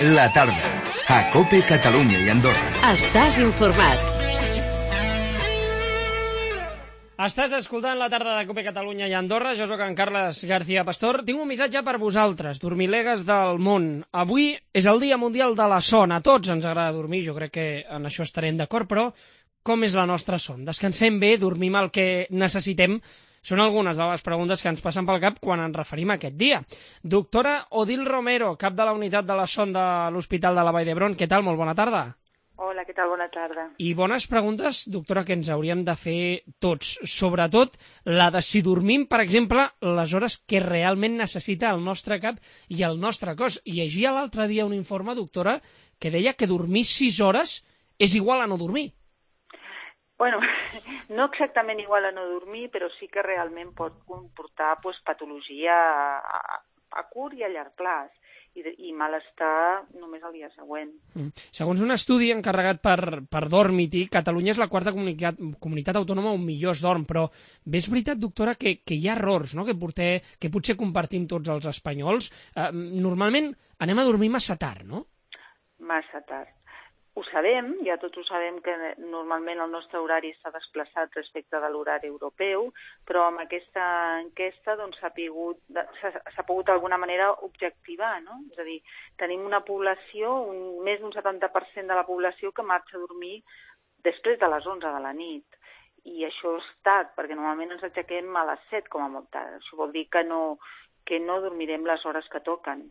La tarda, a COPE Catalunya i Andorra. Estàs informat. Estàs escoltant La tarda de COPE Catalunya i Andorra. Jo soc en Carles García Pastor. Tinc un missatge per vosaltres, dormilegues del món. Avui és el Dia Mundial de la Son. A tots ens agrada dormir, jo crec que en això estarem d'acord, però com és la nostra son? Descansem bé, dormim el que necessitem? Són algunes de les preguntes que ens passen pel cap quan ens referim a aquest dia. Doctora Odil Romero, cap de la unitat de la son de l'Hospital de la Vall d'Hebron. Què tal? Molt bona tarda. Hola, què tal? Bona tarda. I bones preguntes, doctora, que ens hauríem de fer tots. Sobretot la de si dormim, per exemple, les hores que realment necessita el nostre cap i el nostre cos. Llegia l'altre dia un informe, doctora, que deia que dormir 6 hores és igual a no dormir. Bueno, no exactament igual a no dormir, però sí que realment pot comportar patologia a curt i a llarg plaç i malestar només el dia següent. Segons un estudi encarregat per Dormity, Catalunya és la quarta comunitat autònoma on millor es dorm, però bé és veritat, doctora, que hi ha errors, no?, que potser compartim tots els espanyols. Normalment anem a dormir massa tard, no? Massa tard. Ho sabem, ja tots ho sabem que normalment el nostre horari s'ha desplaçat respecte de l'horari europeu, però amb aquesta enquesta s'ha pogut d'alguna manera objectivar, no? És a dir, tenim una població, més d'un 70% de la població que marxa a dormir després de les 11 de la nit. I això és tard, perquè normalment ens aixequem a les 7 com a molt tard. Això vol dir que no dormirem les hores que toquen.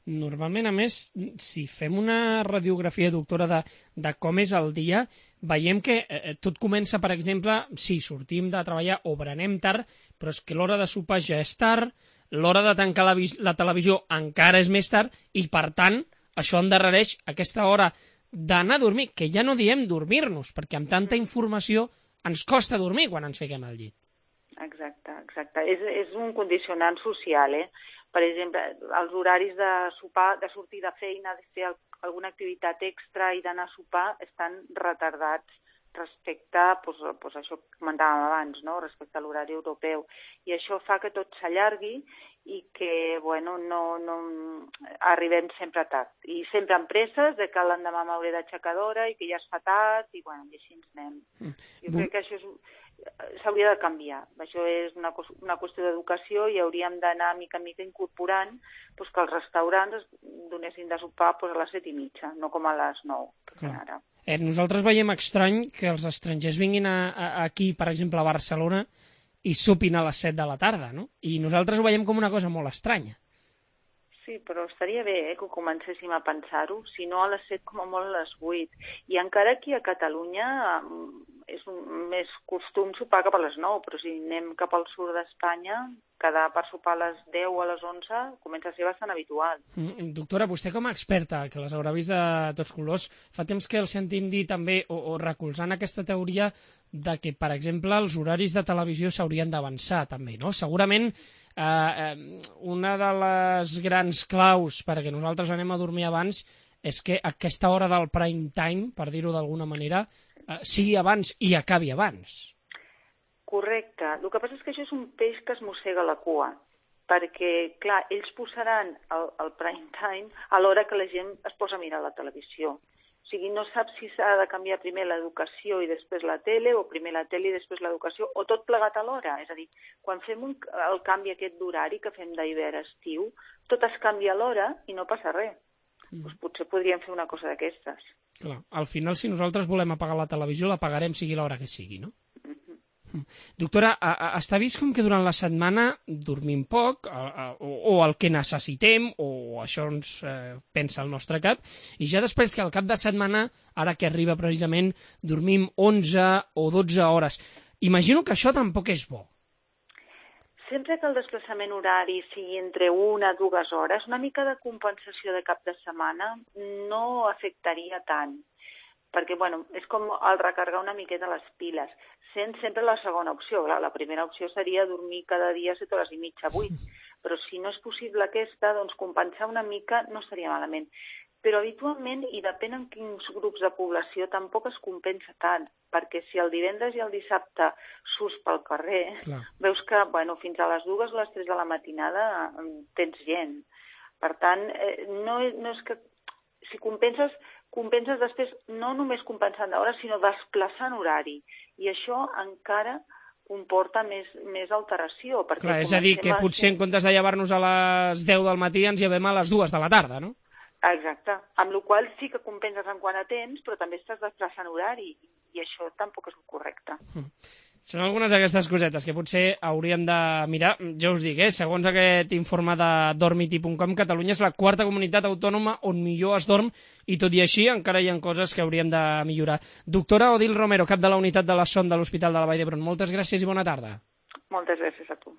Normalment, a més, si fem una radiografia, doctora, de com és el dia, veiem que tot comença, per exemple, si sortim de treballar o berenem tard, però és que l'hora de sopar ja és tard, l'hora de tancar la televisió encara és més tard, i, per tant, això endarrereix aquesta hora d'anar a dormir, que ja no diem dormir-nos, perquè amb tanta informació ens costa dormir quan ens fiquem al llit. Exacte. És un condicionant social, Per exemple, els horaris de sopar, de sortir de feina, de fer alguna activitat extra i d'anar a sopar estan retardats respecte a això que comentàvem abans, no?, respecte a l'horari europeu. I això fa que tot s'allargui i que, no arribem sempre tard. I sempre amb presses de que l'endemà m'hauré d'aixecar d'hora i que ja es fa tard, i així ens anem. Jo crec que això s'hauria de canviar. Això és una qüestió d'educació i hauríem d'anar mica en mica incorporant que els restaurants donessin de sopar a les 7:30, no com a les 9, que fan ara. Nosaltres veiem estrany que els estrangers vinguin aquí, per exemple, a Barcelona, i sopin a les 7 de la tarda, no? I nosaltres ho veiem com una cosa molt estranya. Sí, però estaria bé que comencéssim a pensar-ho, si no a les 7 com a molt a les 8. I encara aquí a Catalunya és més costum sopar cap a les 9, però si anem cap al sud d'Espanya, quedar per sopar a les 10 o a les 11 comença a ser bastant habitual. Doctora, vostè com a experta, que les haurà vist de tots colors, fa temps que el sentim dir també, o recolzant aquesta teoria de que, per exemple, els horaris de televisió s'haurien d'avançar també, no? Segurament una de les grans claus perquè nosaltres anem a dormir abans és que aquesta hora del prime time, per dir-ho d'alguna manera, sigui abans i acabi abans. Correcte. El que passa és que això és un peix que es mossega la cua, perquè, clar, ells posaran el prime time a l'hora que la gent es posa a mirar la televisió. O sigui, no saps si s'ha de canviar primer l'educació i després la tele, o primer la tele i després l'educació, o tot plegat alhora. És a dir, quan fem el canvi aquest d'horari que fem d'hivern a estiu, tot es canvia alhora i no passa res. Doncs potser podríem fer una cosa d'aquestes. Clar, al final, si nosaltres volem apagar la televisió, l'apagarem sigui l'hora que sigui, no? Doctora, està vist com que durant la setmana dormim poc, o el que necessitem, o això ens pensa el nostre cap, i ja després que al cap de setmana, ara que arriba precisament, dormim 11 o 12 hores. Imagino que això tampoc és bo. Sempre que el desplaçament horari sigui entre 1 a 2 hores, una mica de compensació de cap de setmana no afectaria tant. Perquè, és com el recargar una miqueta les piles, sent sempre la segona opció. La primera opció seria dormir cada dia 7 hores i mitja, 8, però si no és possible aquesta, doncs compensar una mica no estaria malament. Però habitualment, i depèn en quins grups de població, tampoc es compensa tant, perquè si el divendres i el dissabte surts pel carrer, veus que fins a les 2 o les 3 de la matinada tens gent. Per tant, no és que si compenses després no només compensant d'hores, sinó desplaçant horari. I això encara comporta més alteració. Clar, és a dir, que potser en comptes de llevar-nos a les 10 del matí ens llevem a les 2 de la tarda, no? Exacte, amb la qual sí que compenses en quant a temps, però també estàs desplaçant horari, i això tampoc és correcte. Són algunes d'aquestes cosetes que potser hauríem de mirar. Ja us dic, segons aquest informe de dormity.com, Catalunya és la quarta comunitat autònoma on millor es dorm, i tot i així encara hi ha coses que hauríem de millorar. Doctora Odil Romero, cap de la unitat de la Son de l'Hospital de la Vall d'Hebron, moltes gràcies i bona tarda. Moltes gràcies a tu.